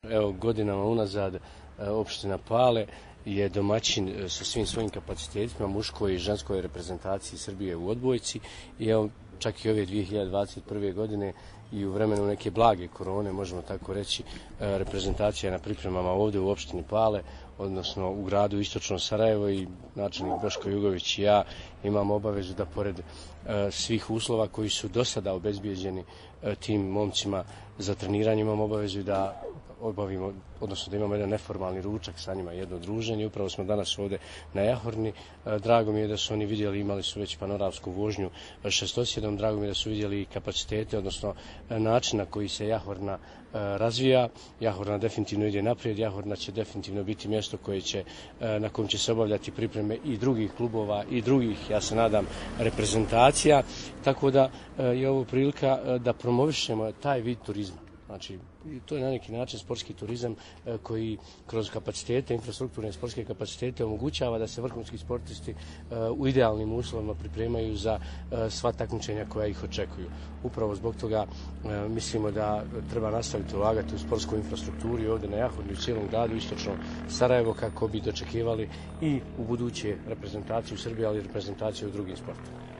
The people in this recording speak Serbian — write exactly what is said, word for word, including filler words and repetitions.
Evo, godinama unazad opština Pale je domaćin sa svim svojim kapacitetima muškoj i ženskoj reprezentaciji Srbije u odbojci i evo čak i ove dvije hiljade dvadeset prve. godine i u vremenu neke blage korone, možemo tako reći, reprezentacija je na pripremama ovdje u opštini Pale, odnosno u gradu Istočno Sarajevo, i načelnik Boško Jugović i ja imamo obavezu da pored svih uslova koji su do sada obezbijeđeni tim momcima za treniranje, imamo obavezu da obavimo, odnosno da imamo jedan neformalni ručak sa njima, jedno druženje. Upravo smo danas ovdje na Jahorni. Drago mi je da su oni vidjeli, imali su već panoramsku vožnju šestosjedom, drago mi je da su vidjeli kapacitete, odnosno način na koji se Jahorna razvija. Jahorna definitivno ide naprijed, Jahorna će definitivno biti mjesto koje će, na kojem će se obavljati pripreme i drugih klubova i drugih, ja se nadam, reprezentacija, tako da je ovo prilika da promovišemo taj vid turizma. Znači, to je na neki način sportski turizam koji kroz kapacitete, infrastrukturne sportske kapacitete omogućava da se vrhunski sportisti u idealnim uslovima pripremaju za sva takmičenja koja ih očekuju. Upravo zbog toga mislimo da treba nastaviti ulagati u sportsku infrastrukturu i ovdje na Jahorni, u cijelom gradu Istočno Sarajevo, kako bi dočekivali i u buduće reprezentaciju Srbije, ali i reprezentaciju u drugim sportovima.